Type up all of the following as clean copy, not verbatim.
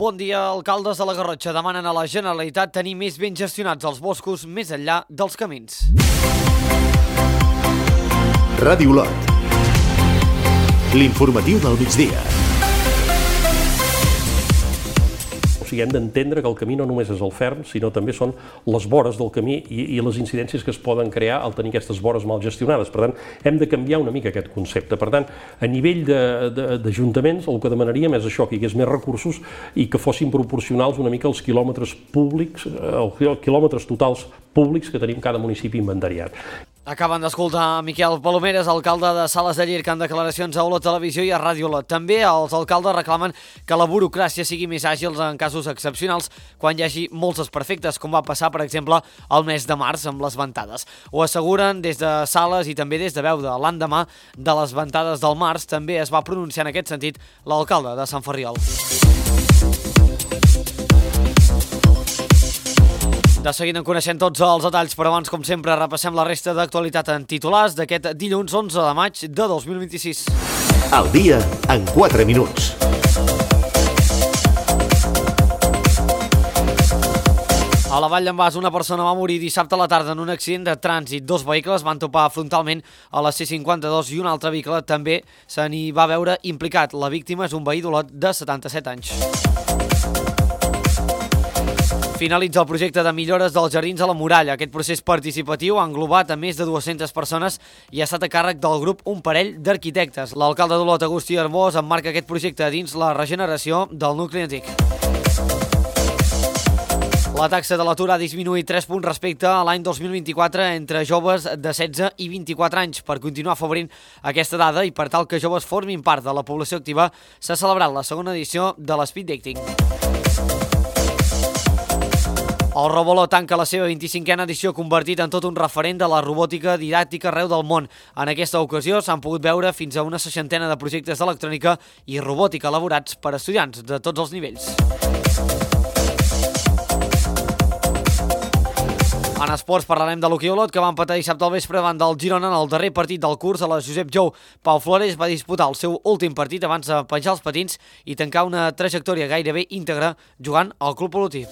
Bon dia, alcaldes de la Garrotxa demanen a la Generalitat tenir més ben gestionats els boscos més enllà dels camins. Ràdio Lot. L'informatiu del migdia. Hem d'entendre que el camí no només és el ferm, sinó també són les vores del camí i les incidències que es poden crear al tenir aquestes vores mal gestionades. Per tant, hem de canviar una mica aquest concepte. Per tant, a nivell d'ajuntaments, el que demanaríem és això, que hi hagués més recursos i que fossin proporcionals una mica als quilòmetres públics, als quilòmetres totals públics que tenim cada municipi inventariat. Acaben d'escoltar Miquel Palomeres, alcalde de Sales de Llierca, en declaracions a Olot Televisió i a Ràdio Olot. També els alcaldes reclamen que la burocràcia sigui més àgil en casos excepcionals quan hi hagi molts desperfectes, com va passar, per exemple, el mes de març amb les ventades. Ho asseguren des de Sales i també des de Beuda. L'endemà de les ventades del març també es va pronunciar en aquest sentit l'alcalde de Sant Ferriol. De seguida en coneixem tots els detalls, però abans, com sempre, repassem la resta d'actualitat en titulars d'aquest dilluns 11 de maig de 2026. El dia en 4 minuts. A la Vall d'en Bas, una persona va morir dissabte a la tarda en un accident de trànsit. Dos vehicles van topar frontalment a la C52 i un altre vehicle també se n'hi va veure implicat. La víctima és un veí d'Olot de 77 anys. Finalitza el projecte de millores dels jardins a la Muralla. Aquest procés participatiu ha englobat a més de 200 persones i ha estat a càrrec del grup Un Parell d'Arquitectes. L'alcalde d'Olot, Agustí Hermós, emmarca aquest projecte dins la regeneració del nucli antic. La taxa de l'atur ha disminuït 3 punts respecte a l'any 2024 entre joves de 16 i 24 anys. Per continuar afavorint aquesta dada i per tal que joves formin part de la població activa, s'ha celebrat la segona edició de l'Speed Dating. El Roboló tanca la seva 25a edició, convertit en tot un referent de la robòtica didàctica arreu del món. En aquesta ocasió s'han pogut veure fins a una 60 de projectes d'electrònica i robòtica elaborats per estudiants de tots els nivells. En esports parlarem de l'hoquei Olot, que va empatar dissabte al vespre davant del Girona en el darrer partit del curs a la Josep Jou. Pau Flores va disputar el seu últim partit abans de penjar els patins i tancar una trajectòria gairebé íntegra jugant al Club Olotí.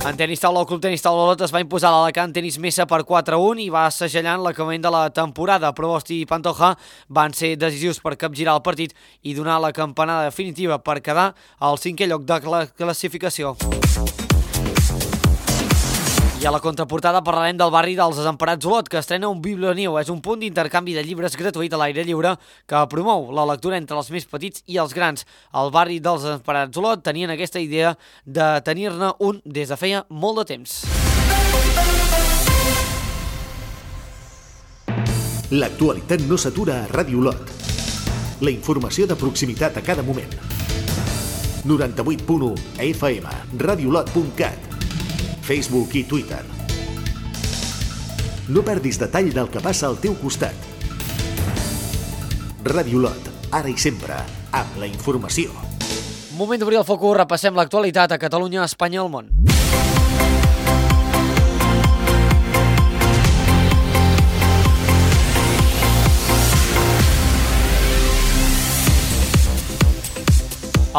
En tenis taula, el Club Tenis Taula Olot es va imposar a l'Alacant Tenis Mesa per 4-1 i va assagellant l'acabament de la temporada. Provost i Pantoja van ser decisius per capgirar el partit i donar la campanada definitiva per quedar al 5è lloc de la classificació. I a la contraportada parlarem del barri dels Desemparats Olot, que estrena un Biblioniu. És un punt d'intercanvi de llibres gratuït a l'aire lliure que promou la lectura entre els més petits i els grans. El barri dels Desemparats Olot tenien aquesta idea de tenir-ne un des de feia molt de temps. L'actualitat no s'atura a Ràdio Lot. La informació de proximitat a cada moment. 98.1 FM, radiolot.cat, Facebook i Twitter. No perdis detall del que passa al teu costat. Ràdio Lot, ara i sempre, amb la informació. Moment d'obrir el focus, repassem l'actualitat a Catalunya, Espanya i el món.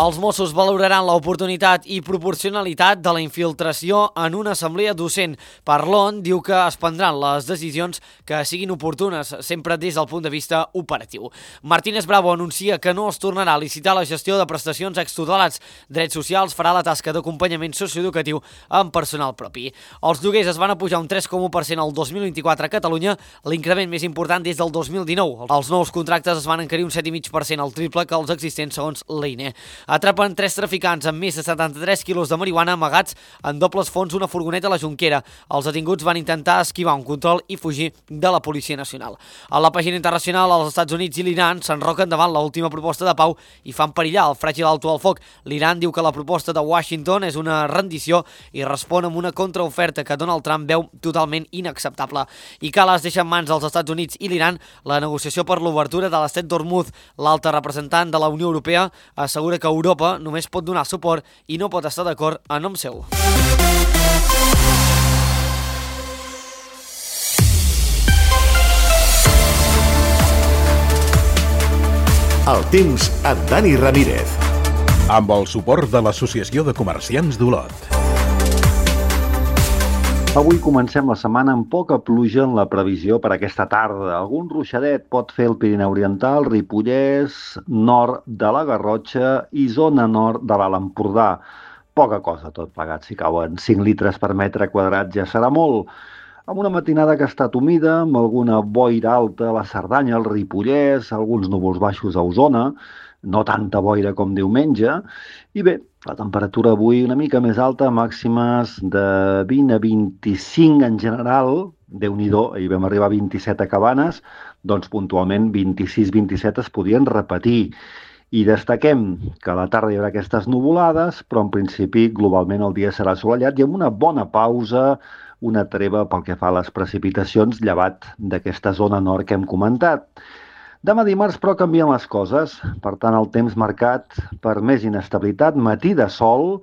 Els Mossos valoraran l'oportunitat i proporcionalitat de la infiltració en una assemblea docent. Parlon diu que es prendran les decisions que siguin oportunes, sempre des del punt de vista operatiu. Martínez Bravo anuncia que no es tornarà a licitar la gestió de prestacions extutelats. Drets Socials farà la tasca d'acompanyament socioeducatiu amb personal propi. Els lloguers es van apujar un 3,1% el 2024 a Catalunya, l'increment més important des del 2019. Els nous contractes es van encarir un 7,5%, el triple que els existents segons l'EINE. Atrapen 3 traficants amb més de 73 quilos de marihuana amagats en dobles fons una furgoneta a la Jonquera. Els detinguts van intentar esquivar un control i fugir de la Policia Nacional. A la pàgina internacional, els Estats Units i l'Iran s'enroquen davant l'última proposta de pau i fan perillar el fràgil alto al foc. L'Iran diu que la proposta de Washington és una rendició i respon amb una contraoferta que Donald Trump veu totalment inacceptable. I Calas deixa en mans dels Estats Units i l'Iran la negociació per l'obertura de l'estret d'Hormuz. L'alta representant de la Unió Europea assegura que Europa només pot donar suport i no pot estar d'acord a nom seu. El temps amb Dani Ramírez. amb el suport de l'Associació de Comerciants d'Olot. Avui comencem la setmana amb poca pluja en la previsió per aquesta tarda. Algun ruixadet pot fer el Pirineu Oriental, Ripollès, nord de la Garrotxa i zona nord de l'Alt Empordà. Poca cosa, tot plegat. Si cauen 5 litres per metre quadrat ja serà molt. Amb una matinada que ha estat humida, amb alguna boira alta a la Cerdanya, al Ripollès, alguns núvols baixos a Osona, no tanta boira com diumenge, i bé, la temperatura avui una mica més alta, màximes de 20 a 25 en general, Déu-n'hi-do, ahir vam arribar a 27 a Cabanes, doncs puntualment 26-27 es podien repetir. I destaquem que a la tarda hi haurà aquestes nuvolades, però en principi globalment el dia serà assolellat i amb una bona pausa, una treva pel que fa a les precipitacions, llevat d'aquesta zona nord que hem comentat. Demà dimarts, però, canvien les coses. Per tant, el temps marcat per més inestabilitat, matí de sol,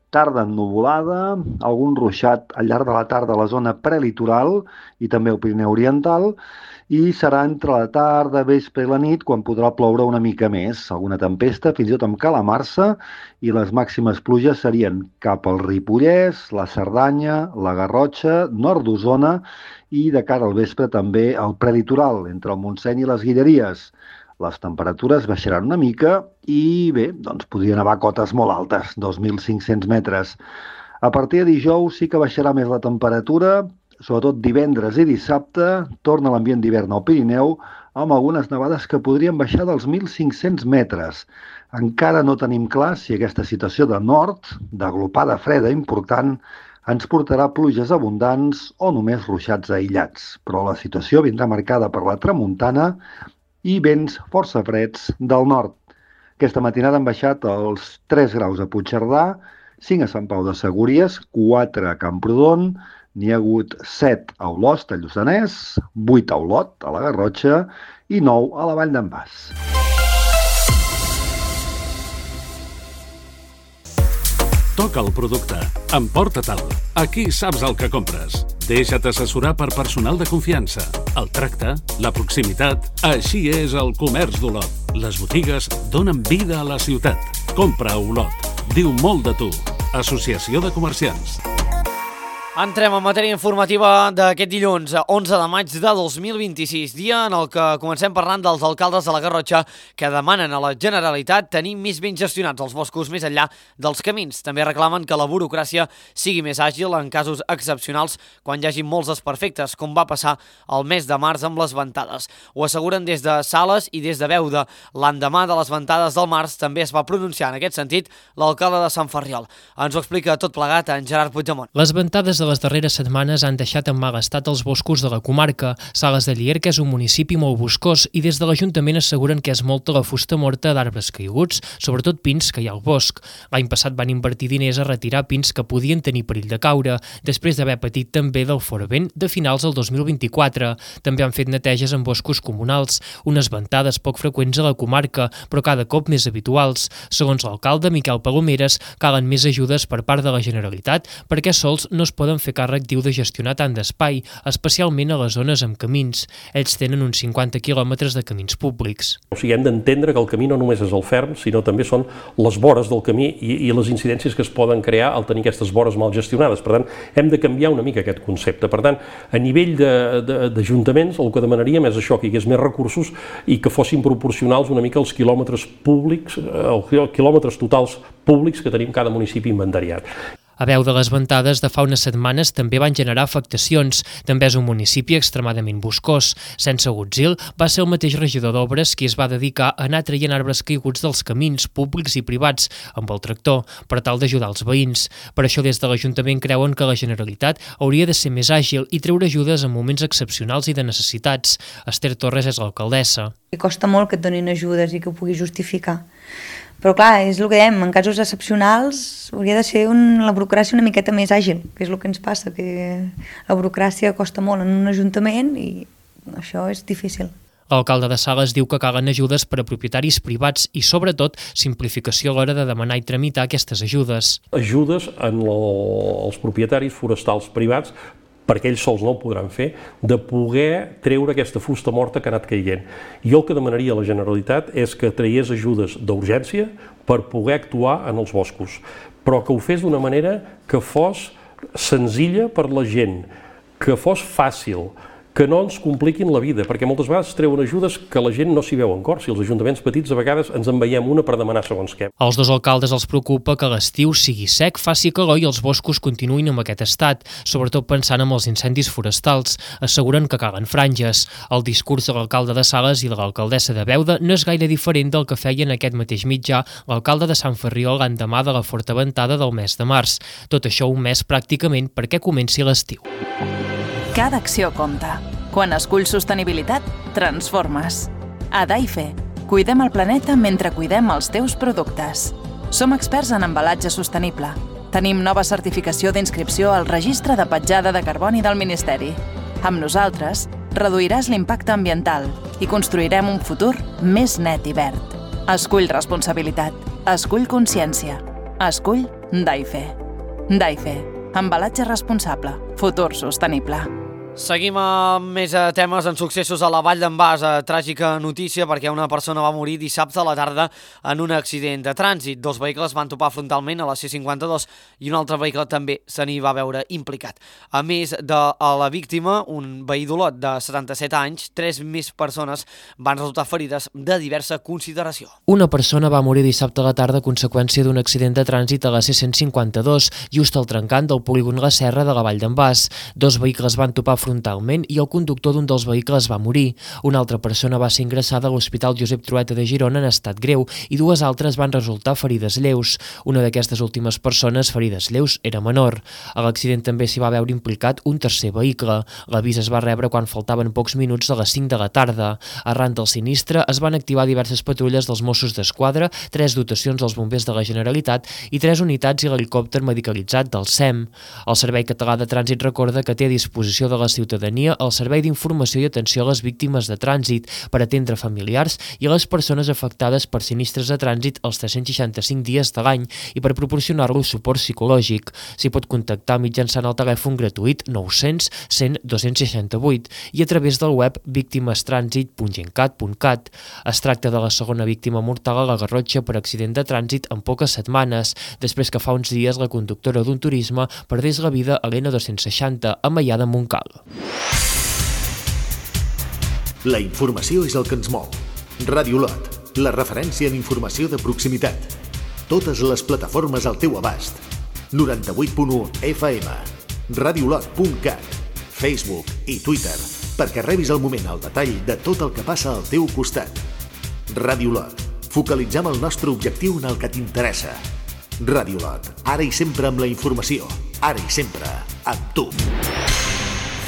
tarda ennuvolada, algun ruixat al llarg de la tarda a la zona prelitoral i també al Pirineu Oriental, i serà entre la tarda, vespre i la nit quan podrà ploure una mica més, alguna tempesta, fins i tot amb calamarsa, i les màximes pluges serien cap al Ripollès, la Cerdanya, la Garrotxa, nord d'Osona i de cara al vespre també al prelitoral, entre el Montseny i les Guilleries. Les temperatures baixaran una mica i bé, doncs podrien nevar cotes molt altes, 2.500 metres. A partir de dijous sí que baixarà més la temperatura, sobretot divendres i dissabte, torna l'ambient d'hivern al Pirineu, amb algunes nevades que podrien baixar dels 1.500 metres. Encara no tenim clar si aquesta situació de nord, d'aglopada freda important, ens portarà pluges abundants o només ruixats aïllats. Però la situació vindrà marcada per la tramuntana i vents força freds del nord. Aquesta matinada han baixat els 3 graus a Puigcerdà, 5 a Sant Pau de Segúries, 4 a Camprodon, n'hi ha hagut 7 a Olost, a Lluçanès, 8 a Olot, a la Garrotxa, i 9 a la Vall d'en Bas. Toca el producte. Emporta-te'l. Aquí saps el que compres. Deixa't assessorar per personal de confiança. El tracte, la proximitat, així és el comerç d'Olot. Les botigues donen vida a la ciutat. Compra a Olot. Diu molt de tu. Associació de Comerciants. Entrem en matèria informativa d'aquest dilluns, 11 de maig de 2026, dia en el que comencem parlant dels alcaldes de la Garrotxa que demanen a la Generalitat tenir més ben gestionats els boscos més enllà dels camins. També reclamen que la burocràcia sigui més àgil en casos excepcionals quan hi hagi molts desperfectes, com va passar el mes de març amb les ventades. Ho asseguren des de Sales i des de Beuda. L'endemà de les ventades del març també es va pronunciar en aquest sentit l'alcalde de Sant Ferriol. Ens ho explica tot plegat en Gerard Puigdemont. Les ventades de les darreres setmanes han deixat en mal estat els boscos de la comarca. Sales de Llierca és un municipi molt boscós i des de l'Ajuntament asseguren que és molta la fusta morta d'arbres caiguts, sobretot pins que hi ha al bosc. L'any passat van invertir diners a retirar pins que podien tenir perill de caure, després d'haver patit també del foravent de finals del 2024. També han fet neteges en boscos comunals, unes ventades poc freqüents a la comarca, però cada cop més habituals. Segons l'alcalde Miquel Palomeres, calen més ajudes per part de la Generalitat perquè sols no es poden fer càrrec, diu, de gestionar tant d'espai, especialment a les zones amb camins. Ells tenen uns 50 quilòmetres de camins públics. O sigui, hem d'entendre que el camí no només és el ferm, sinó també són les vores del camí i les incidències que es poden crear al tenir aquestes vores mal gestionades. Per tant, hem de canviar una mica aquest concepte. Per tant, a nivell d'ajuntaments, el que demanaríem és això, que hi hagués més recursos i que fossin proporcionals una mica als quilòmetres públics, als quilòmetres totals públics que tenim cada municipi inventariat. A Beuda, les ventades de fa unes setmanes també van generar afectacions. També és un municipi extremadament boscós. Sense Gutzil va ser el mateix regidor d'Obres qui es va dedicar a anar traient arbres caiguts dels camins públics i privats amb el tractor per tal d'ajudar els veïns. Per això des de l'Ajuntament creuen que la Generalitat hauria de ser més àgil i treure ajudes en moments excepcionals i de necessitats. Esther Torres és l'alcaldessa. Costa molt que et donin ajudes i que ho puguis justificar. Però clar, és el que dèiem, en casos excepcionals hauria de ser la burocràcia una miqueta més àgil, que és el que ens passa, que la burocràcia costa molt en un ajuntament i això és difícil. L'alcalde de Sales diu que calen ajudes per a propietaris privats i, sobretot, simplificació a l'hora de demanar i tramitar aquestes ajudes. Ajudes als propietaris forestals privats, perquè ells sols no ho podran fer, de poder treure aquesta fusta morta que ha anat caient. Jo el que demanaria a la Generalitat és que traiés ajudes d'urgència per poder actuar en els boscos, però que ho fes d'una manera que fos senzilla per la gent, que fos fàcil, que no ens compliquin la vida, perquè moltes vegades es treuen ajudes que la gent no s'hi veu en cor. Si els ajuntaments petits a vegades ens en veiem una per demanar segons què. Als dos alcaldes els preocupa que l'estiu sigui sec, faci calor i els boscos continuïn amb aquest estat, sobretot pensant en els incendis forestals. Asseguren que calen franges. El discurs de l'alcalde de Sales i de l'alcaldessa de Beuda no és gaire diferent del que feia en aquest mateix mitjà l'alcalde de Sant Ferriol l'endemà de la forta ventada del mes de març. Tot això un mes pràcticament perquè comenci l'estiu. Cada acció compta. Quan esculls sostenibilitat, transformes. A Daife, cuidem el planeta mentre cuidem els teus productes. Som experts en embalatge sostenible. Tenim nova certificació d'inscripció al Registre de Petjada de Carboni del Ministeri. Amb nosaltres, reduiràs l'impacte ambiental i construirem un futur més net i verd. Escull responsabilitat. Escull consciència. Escull Daife. Daife. Embalatge responsable. Futur sostenible. Seguim amb més temes en successos a la Vall d'en Bas. Tràgica notícia perquè una persona va morir dissabte a la tarda en un accident de trànsit. Dos vehicles van topar frontalment a la C52 i un altre vehicle també se n'hi va veure implicat. A més de la víctima, un veí d'Olot de 77 anys, 3 més persones van resultar ferides de diversa consideració. Una persona va morir dissabte a la tarda a conseqüència d'un accident de trànsit a la C152, just al trencant del polígon La Serra de la Vall d'en Bas. Dos vehicles van topar frontalment i el conductor d'un dels vehicles va morir. Una altra persona va ser ingressada a l'Hospital Josep Trueta de Girona en estat greu i dues altres van resultar ferides lleus. Una d'aquestes últimes persones ferides lleus era menor. A l'accident també s'hi va veure implicat un tercer vehicle. L'avís es va rebre quan faltaven pocs minuts de les 5 de la tarda. Arran del sinistre es van activar diverses patrulles dels Mossos d'Esquadra, 3 dotacions dels bombers de la Generalitat i 3 unitats i l'helicòpter medicalitzat del SEM. El Servei Català de Trànsit recorda que té a disposició de la ciutadania el servei d'informació i atenció a les víctimes de trànsit per atendre familiars i a les persones afectades per sinistres de trànsit els 365 dies de l'any i per proporcionar-los suport psicològic. S'hi pot contactar mitjançant el telèfon gratuït 900 100 268 i a través del web victimestrànsit.gencat.cat. Es tracta de la segona víctima mortal a la Garrotxa per accident de trànsit en poques setmanes, després que fa uns dies la conductora d'un turisme perdés la vida a l'N260 a Maià de Montcal. La informació és el que ens mou. Ràdio Olot, la referència en informació de proximitat. Totes les plataformes al teu abast. 98.1 FM, radiolot.cat, Facebook i Twitter, perquè rebis al moment el detall de tot el que passa al teu costat. Ràdio Olot, focalitzem el nostre objectiu en el que t'interessa. Ràdio Olot, ara i sempre amb la informació, ara i sempre amb tu.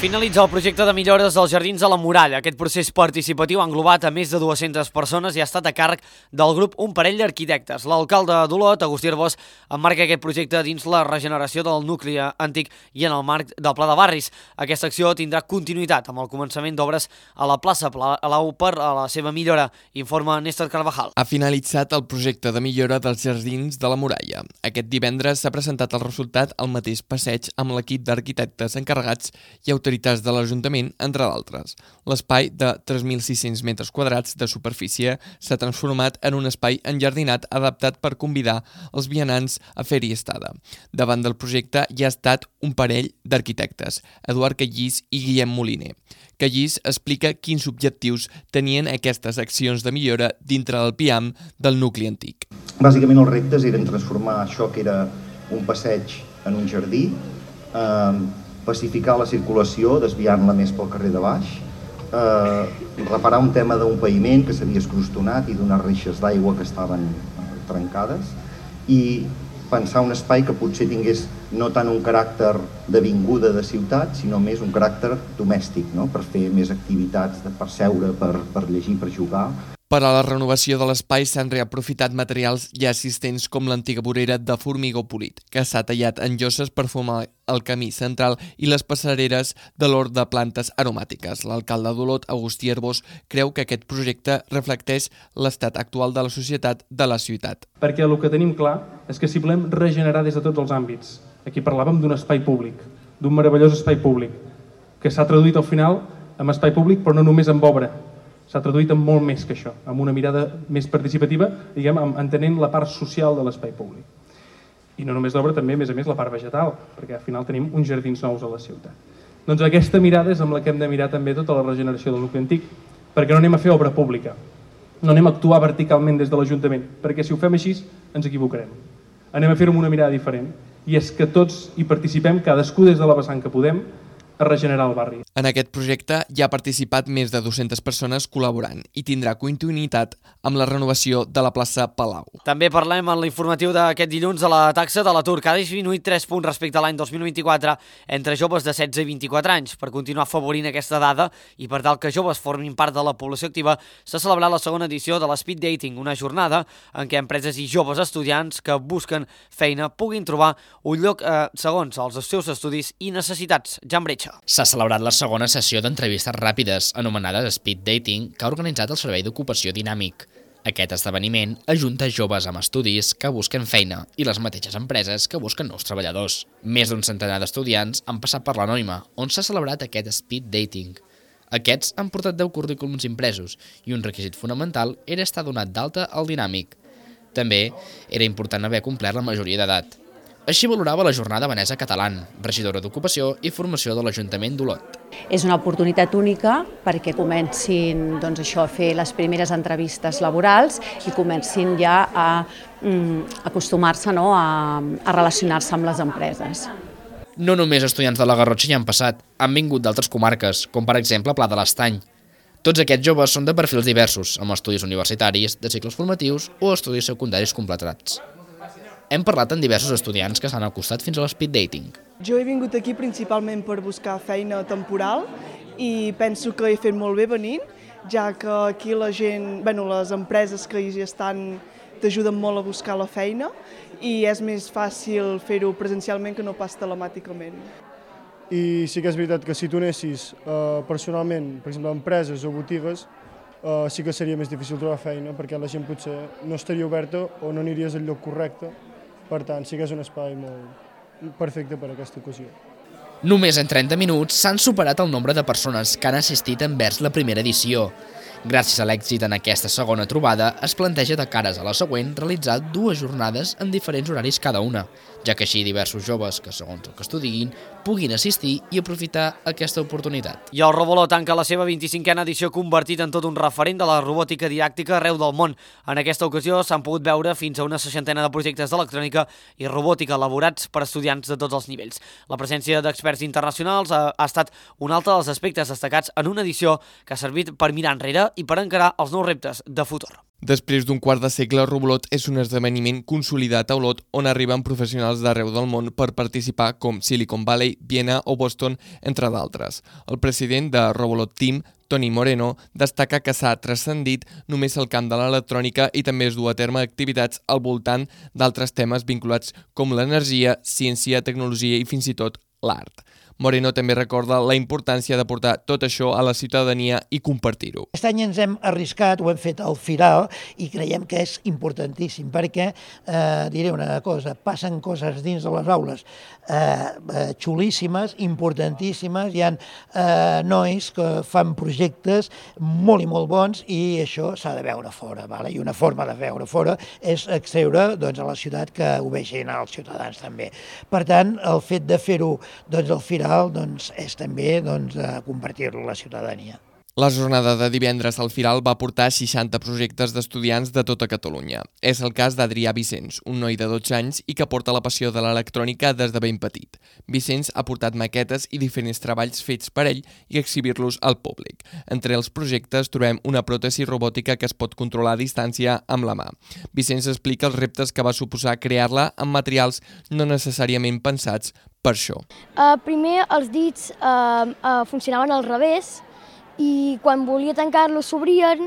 Finalitza el projecte de millores dels Jardins de la Muralla. Aquest procés participatiu ha englobat a més de 200 persones i ha estat a càrrec del grup Un Parell d'Arquitectes. L'alcalde d'Olot, Agustí Arbós, emmarca aquest projecte dins la regeneració del nucli antic i en el marc del Pla de Barris. Aquesta acció tindrà continuïtat amb el començament d'obres a la plaça Palau per a la seva millora, informa Néstor Carvajal. Ha finalitzat el projecte de millora dels Jardins de la Muralla. Aquest divendres s'ha presentat el resultat al mateix passeig amb l'equip d'arquitectes encarregats i autoritats de l'Ajuntament, entre d'altres. L'espai de 3.600 metres quadrats de superfície s'ha transformat en un espai enjardinat adaptat per convidar els vianants a fer-hi estada. Davant del projecte hi ha estat un parell d'arquitectes, Eduard Callís i Guillem Moliner. Callís explica quins objectius tenien aquestes accions de millora dintre del PIAM del nucli antic. Bàsicament els reptes eren transformar això que era un passeig en un jardí, pacificar la circulació, desviant-la més pel carrer de baix, reparar un tema d'un paviment que s'havia escrostonat i d'unes reixes d'aigua que estaven trencades i pensar un espai que potser tingués no tant un caràcter d'avinguda de ciutat, sinó més un caràcter domèstic, no? Per fer més activitats, per seure, per llegir, per jugar. Per a la renovació de l'espai s'han reaprofitat materials ja existents com l'antiga vorera de formigó polit, que s'ha tallat en lloses per formar el camí central i les passareres de l'hort de plantes aromàtiques. L'alcalde d'Olot, Agustí Arbós, creu que aquest projecte reflecteix l'estat actual de la societat de la ciutat. Perquè el que tenim clar és que si volem regenerar des de tots els àmbits, aquí parlàvem d'un espai públic, d'un meravellós espai públic, que s'ha traduït al final en espai públic però no només amb obra, s'ha traduït en molt més que això, amb una mirada més participativa, diguem, entenent la part social de l'espai públic. I no només l'obra, també, a més, la part vegetal, perquè al final tenim uns jardins nous a la ciutat. Doncs aquesta mirada és amb la que hem de mirar també tota la regeneració del nucli antic, perquè no anem a fer obra pública, no anem a actuar verticalment des de l'Ajuntament, perquè si ho fem així ens equivocarem. Anem a fer-ho amb una mirada diferent, i és que tots hi participem, cadascú des de la vessant que podem, a regenerar el barri. En aquest projecte hi ha participat més de 200 persones col·laborant i tindrà continuïtat amb la renovació de la plaça Palau. També parlem en l'informatiu d'aquest dilluns de la taxa de l'atur, que ha disminuït 3 punts respecte a l'any 2024 entre joves de 16 i 24 anys. Per continuar afavorint aquesta dada i per tal que joves formin part de la població activa, s'ha celebrat la segona edició de l'Speed Dating, una jornada en què empreses i joves estudiants que busquen feina puguin trobar un lloc segons els seus estudis i necessitats. Jan Bretxa. S'ha celebrat la segona sessió d'entrevistes ràpides, anomenada Speed Dating, que ha organitzat el Servei d'Ocupació Dinàmic. Aquest esdeveniment ajunta joves amb estudis que busquen feina i les mateixes empreses que busquen nous treballadors. Més d'un centenar d'estudiants han passat per l'Anònima, on s'ha celebrat aquest Speed Dating. Aquests han portat 10 currículums impresos i un requisit fonamental era estar donat d'alta al Dinàmic. També era important haver complert la majoria d'edat. Així valorava la jornada Vanessa Catalán, regidora d'Ocupació i Formació de l'Ajuntament d'Olot. És una oportunitat única perquè comencin a fer les primeres entrevistes laborals i comencin ja a acostumar-se a relacionar-se amb les empreses. No només estudiants de la Garrotxa hi han passat, han vingut d'altres comarques, com per exemple Pla de l'Estany. Tots aquests joves són de perfils diversos, amb estudis universitaris, de cicles formatius o estudis secundaris completats. Hem parlat amb diversos estudiants que s'han acostat fins a l'Speed Dating. Jo he vingut aquí principalment per buscar feina temporal i penso que he fet molt bé venint, ja que aquí la gent, les empreses que hi estan t'ajuden molt a buscar la feina i és més fàcil fer-ho presencialment que no pas telemàticament. I sí que és veritat que si tu anessis personalment, per exemple, a empreses o botigues, sí que seria més difícil trobar feina perquè la gent potser no estaria oberta o no aniries al lloc correcte. Per tant, sí que és un espai molt perfecte per a aquesta ocasió. Només en 30 minuts s'han superat el nombre de persones que han assistit envers la primera edició. Gràcies a l'èxit en aquesta segona trobada, es planteja de cares a la següent realitzar 2 jornades en diferents horaris cada una, ja que així diversos joves que, segons el que estudin, puguin assistir i aprofitar aquesta oportunitat. I el Robolot tanca la seva 25a edició convertit en tot un referent de la robòtica didàctica arreu del món. En aquesta ocasió s'han pogut veure fins a una 60ena de projectes d'electrònica i robòtica elaborats per estudiants de tots els nivells. La presència d'experts internacionals ha estat un altre dels aspectes destacats en una edició que ha servit per mirar enrere i per encarar els nous reptes de futur. Després d'un quart de segle, Robolot és un esdeveniment consolidat a Olot on arriben professionals d'arreu del món per participar com Silicon Valley, Viena o Boston, entre d'altres. El president de Robolot Team, Toni Moreno, destaca que s'ha transcendit només el camp de l'electrònica i també es du a terme activitats al voltant d'altres temes vinculats com l'energia, ciència, tecnologia i fins i tot l'art. Moreno també recorda la importància de portar tot això a la ciutadania i compartir-ho. Aquest any ens hem arriscat, ho hem fet al Firal i creiem que és importantíssim perquè, diré una cosa, passen coses dins de les aules xulíssimes, importantíssimes, hi ha nois que fan projectes molt i molt bons i això s'ha de veure fora, i una forma de veure fora és extreure a la ciutat que ho vegin els ciutadans també. Per tant, el fet de fer-ho al Firal és també compartir-lo a la ciutadania. La jornada de divendres al Firal va portar 60 projectes d'estudiants de tota Catalunya. És el cas d'Adrià Vicenç, un noi de 12 anys i que porta la passió de l'electrònica des de ben petit. Vicenç ha portat maquetes i diferents treballs fets per ell i exhibir-los al públic. Entre els projectes trobem una pròtesi robòtica que es pot controlar a distància amb la mà. Vicenç explica els reptes que va suposar crear-la amb materials no necessàriament pensats per això. Primer els dits funcionaven al revés i quan volia tancar-los s'obrien,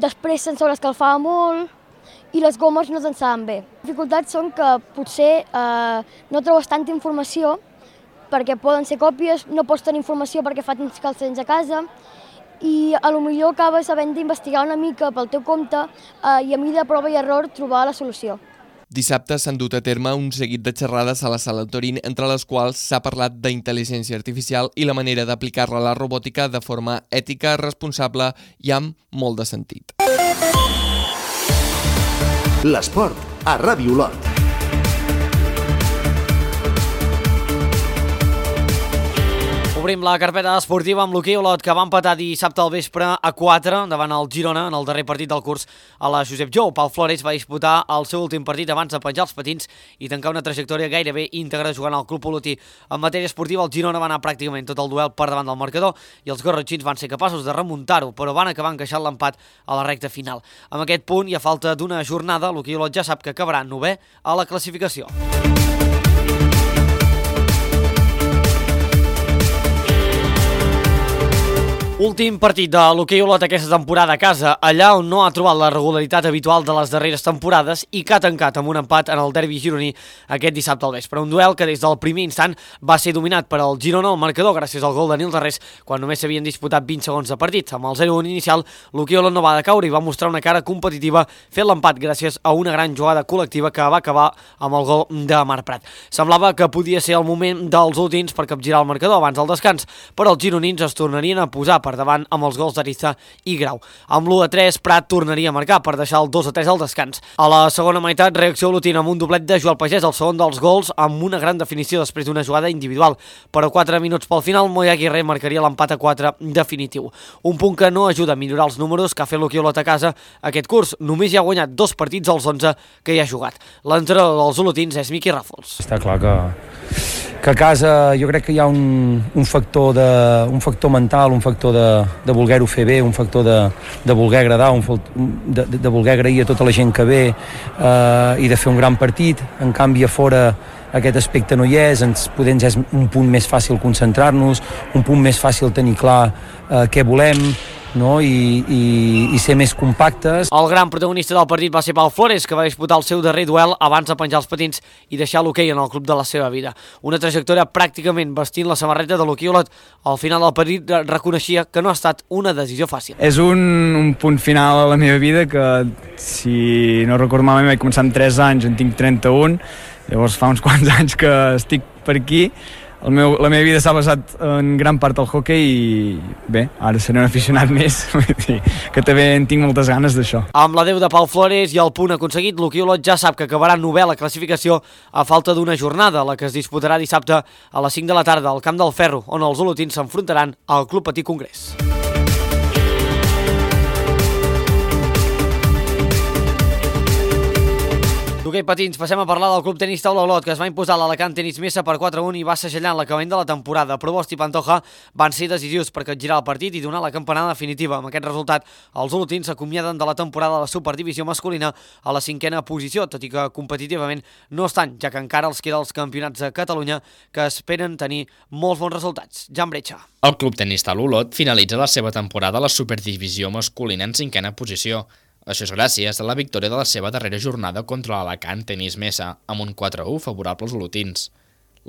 després se'n sobreescalfava molt i les gomes no s'ensaven bé. Les dificultats són que potser no trobes tanta informació perquè poden ser còpies, no pots tenir informació perquè fa temps que els tens a casa i potser acabes havent d'investigar una mica pel teu compte i a mi de prova i error trobar la solució. Dissabte s'han dut a terme un seguit de xerrades a la Sala Torín, entre les quals s'ha parlat d'intel·ligència artificial i la manera d'aplicar-la a la robòtica de forma ètica, responsable i amb molt de sentit. L'esport a Ràdio Olot. Obrim la carpeta esportiva amb l'hoquei Olot, que va empatar dissabte al vespre a 4 davant el Girona en el darrer partit del curs a la Josep Jou. Pau Flores va disputar el seu últim partit abans de penjar els patins i tancar una trajectòria gairebé íntegra jugant al club olotí. En matèria esportiva, el Girona va anar pràcticament tot el duel per davant del marcador i els gorratxins van ser capaços de remuntar-ho, però van acabar encaixant l'empat a la recta final. Amb aquest punt i a falta d'una jornada, l'hoquei Olot ja sap que acabarà 9è a la classificació. Últim partit de l'hoquei Olot aquesta temporada a casa, allà on no ha trobat la regularitat habitual de les darreres temporades i que ha tancat amb un empat en el derbi gironí aquest dissabte al vespre. Un duel que des del primer instant va ser dominat per al Girona al marcador gràcies al gol de Nil Darrés quan només s'havien disputat 20 segons de partit. Amb el 0-1 inicial, l'hoquei Olot no va decaure i va mostrar una cara competitiva fent l'empat gràcies a una gran jugada col·lectiva que va acabar amb el gol de Marc Prat. Semblava que podia ser el moment dels olotins per capgirar el marcador abans del descans, però els gironins es tornarien a posar per davant amb els gols d'Ariza i Grau. Amb l'1-3, Prat tornaria a marcar per deixar el 2-3 al descans. A la segona meitat, reacció olotina amb un doblet de Joel Pagès, el segon dels gols, amb una gran definició després d'una jugada individual. Però 4 minuts pel final, Moya Aguirre marcaria l'empat a 4 definitiu. Un punt que no ajuda a millorar els números que ha fet l'hoquei Olot a casa aquest curs. Només hi ha guanyat 2 partits als 11 que hi ha jugat. L'entrenador dels olotins és Miqui Ràfols. Està clar que a casa jo crec que hi ha un factor mental, un factor de voler-ho fer bé, un factor de voler agradar, de voler agrair a tota la gent que ve i de fer un gran partit. En canvi, a fora aquest aspecte no hi és, ens és un punt més fàcil concentrar-nos, un punt més fàcil tenir clar què volem, no? I ser més compactes. El gran protagonista del partit va ser Pau Flores, que va disputar el seu darrer duel abans de penjar els patins i deixar l'hoquei en el club de la seva vida. Una trajectòria pràcticament vestint la samarreta de l'hoquei Olot. Al final del partit reconeixia que no ha estat una decisió fàcil. És un punt final a la meva vida que, si no recordo malament, vaig començar amb 3 anys, en tinc 31, llavors fa uns quants anys que estic per aquí. La meva vida s'ha basat en gran part al hoquei i bé, ara seré un aficionat més, que també en tinc moltes ganes d'això. Amb l'adeu de Pau Flores i el punt aconseguit, l'hoquei Olot ja sap que acabarà 9è a la classificació a falta d'una jornada, la que es disputarà dissabte a les 5 de la tarda al Camp del Ferro, on els olotins s'enfrontaran al Club Patí Congrés. D'hoquei patins, passem a parlar del Club Tenis Taula Olot, que es va imposar l'Alacant Tenis Mesa per 4-1 i va segellar en l'acabament de la temporada. Provost i Pantoja van ser decisius per capgirar el partit i donar la campanada definitiva. Amb aquest resultat, els olotins s'acomiaden de la temporada de la Superdivisió masculina a la 5a posició, tot i que competitivament no estan, ja que encara els queda els campionats de Catalunya que esperen tenir molts bons resultats. Jan Bretxa. El Club Tenis Taula Olot finalitza la seva temporada a la Superdivisió masculina en 5a posició. Això és gràcies a la victòria de la seva darrera jornada contra l'Alacant Tenis Mesa, amb un 4-1 favorable als olotins.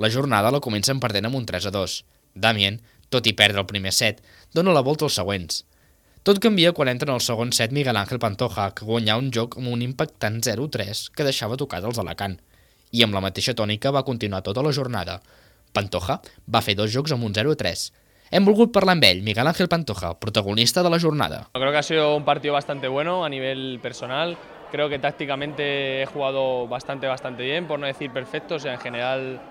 La jornada la comencen perdent amb un 3-2. Damien, tot i perdre el primer set, dona la volta als següents. Tot canvia quan entra en el segon set Miguel Ángel Pantoja, que guanya un joc amb un impactant 0-3 que deixava tocat els Alacant. I amb la mateixa tònica va continuar tota la jornada. Pantoja va fer 2 jocs amb un 0-3. Hem volgut parlar amb ell, Miguel Ángel Pantoja, protagonista de la jornada. Creo que ha sido un partido bastante bueno a nivel personal. Creo que tácticamente he jugado bastante bien, por no decir perfecto. O sea, en general,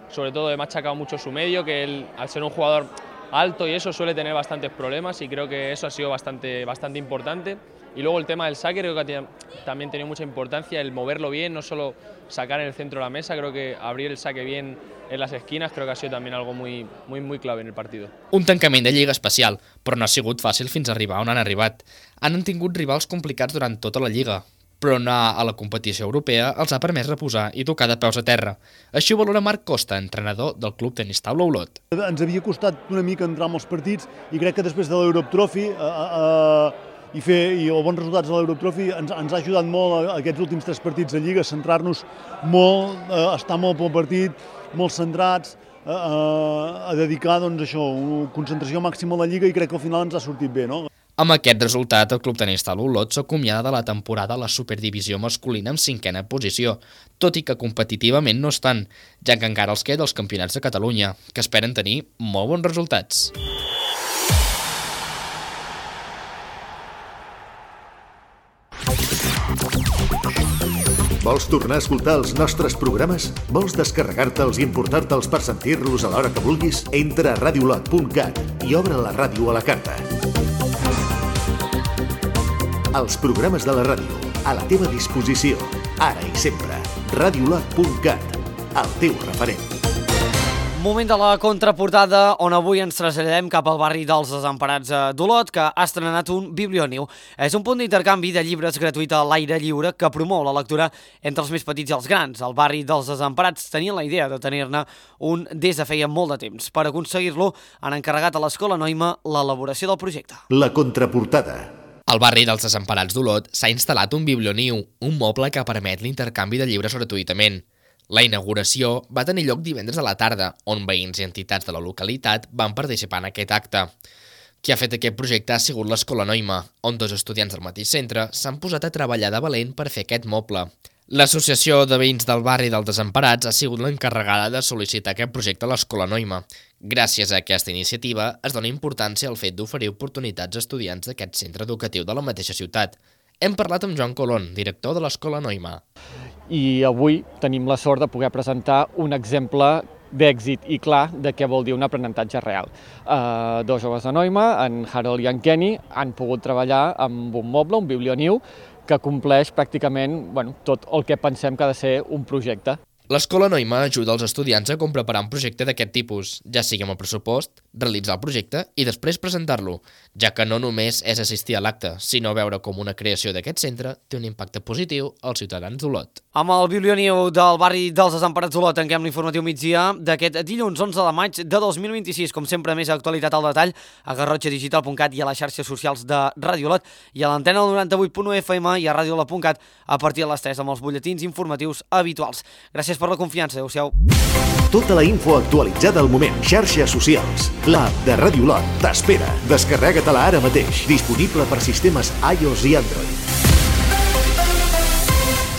sobre todo he machacado mucho su medio, que él, al ser un jugador alto y eso, suele tener bastantes problemas y creo que eso ha sido bastante importante. Y luego el tema del saque creo que también ha tenido mucha importancia, el moverlo bien, no solo sacar en el centro de la mesa, creo que abrir el saque bien en las esquinas creo que ha sido también algo muy clave en el partido. Un tancament de lliga especial, però no ha sigut fàcil fins a arribar on han arribat. Han tingut rivals complicats durant tota la lliga, però anar a la competició europea els ha permès reposar i tocar de peus a terra. Així ho valora Marc Costa, entrenador del Club Tenis Taula Olot. Ens havia costat una mica entrar en els partits i crec que després de l'Europe Trophy i els bons resultats de l'Europe Trophy ens ha ajudat molt aquests últims 3 partits de Lliga, centrar-nos molt, estar molt pel partit, molt centrats, a dedicar doncs, això, una concentració màxima a la Lliga i crec que al final ens ha sortit bé, no? Amb aquest resultat, el club tenista l'Olot s'acomiada de la temporada a la Superdivisió masculina amb 5a posició, tot i que competitivament no estan, ja que encara els queda els campionats de Catalunya, que esperen tenir molt bons resultats. Vols tornar a escoltar els nostres programes? Vols descarregar-te'ls i emportar-te'ls per sentir-los a l'hora que vulguis? Entra a radiolot.cat i obre la ràdio a la carta. Els programes de la ràdio, a la teva disposició, ara i sempre. Radiolot.cat, el teu referent. Moment de la contraportada, on avui ens traslladem cap al barri dels Desemparats d'Olot, que ha estrenat un biblioniu. És un punt d'intercanvi de llibres gratuït a l'aire lliure que promou la lectura entre els més petits i els grans. El barri dels Desemparats tenia la idea de tenir-ne un des de feia molt de temps. Per aconseguir-lo, han encarregat a l'Escola Noima l'elaboració del projecte. La contraportada. Al barri dels Desemparats d'Olot s'ha instal·lat un biblioniu, un moble que permet l'intercanvi de llibres gratuïtament. La inauguració va tenir lloc divendres a la tarda, on veïns i entitats de la localitat van participar en aquest acte. Qui ha fet aquest projecte ha sigut l'Escola Noima, on 2 estudiants del mateix centre s'han posat a treballar de valent per fer aquest moble. L'Associació de Veïns del Barri dels Desemparats ha sigut l'encarregada de sol·licitar aquest projecte a l'Escola Noima. Gràcies a aquesta iniciativa es dona importància al fet d'oferir oportunitats a estudiants d'aquest centre educatiu de la mateixa ciutat. Hem parlat amb Joan Colón, director de l'Escola Noima. I avui tenim la sort de poder presentar un exemple d'èxit i clar de què vol dir un aprenentatge real. 2 joves de Noima, en Harold i en Kenny, han pogut treballar amb un moble, un biblioniu, que compleix pràcticament tot el que pensem que ha de ser un projecte. L'Escola Noima ajuda els estudiants a com preparar un projecte d'aquest tipus, ja sigui amb el pressupost, realitzar el projecte i després presentar-lo, ja que no només és assistir a l'acte, sinó veure com una creació d'aquest centre té un impacte positiu als ciutadans d'Olot. Amb el biblioniu del barri dels Desemparats d'Olot tanquem l'informatiu migdia d'aquest dilluns 11 de maig de 2026. Com sempre, més actualitat al detall a garrotxadigital.cat i a les xarxes socials de Ràdio Olot i a l'antena del 98.1 FM i a radiolot.cat a partir de les 3 amb els butlletins informatius habituals. Gràcies per la confiança. Adéu-siau. Tota la info actualitzada al moment. Xarxes socials. L'app de Ràdio Olot t'espera. Descarrega-te-la ara mateix. Disponible per sistemes iOS i Android.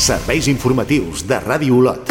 Serveis informatius de Ràdio Olot.